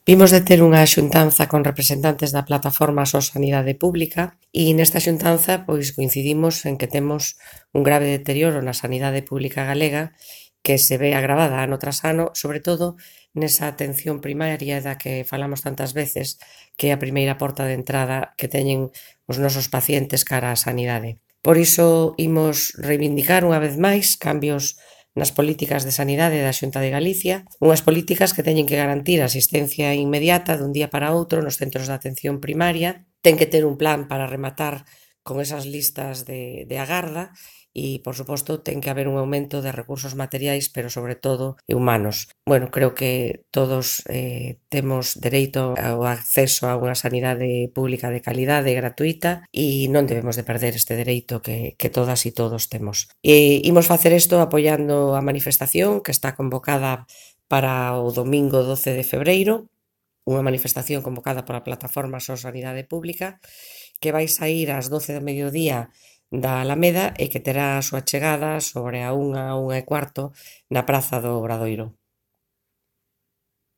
Vimos de ter unha xuntanza con representantes da plataforma Só Sanidade Pública e nesta xuntanza coincidimos en que temos un grave deterioro na sanidade pública galega que se ve agravada ano tras ano, sobre todo nesa atención primaria da que falamos tantas veces, que é a primeira porta de entrada que teñen os nosos pacientes cara á sanidade. Por iso imos reivindicar unha vez máis cambios nas políticas de sanidade da Xunta de Galicia, unhas políticas que teñen que garantir a asistencia inmediata dun día para outro nos centros de atención primaria, ten que ter un plan para rematar con esas listas de agarda e, por suposto, ten que haber un aumento de recursos materiais, pero sobre todo humanos. Bueno, creo que todos temos dereito ao acceso a unha sanidade pública de calidade e gratuita e non debemos de perder este dereito que todas e todos temos. E imos facer isto apoiando a manifestación que está convocada para o domingo 12 de febreiro, unha manifestación convocada pola plataforma Só Sanidade Pública, que vai saír ás 12 do mediodía da Alameda e que terá a súa chegada sobre a 1:15 na Praza do Obradoiro.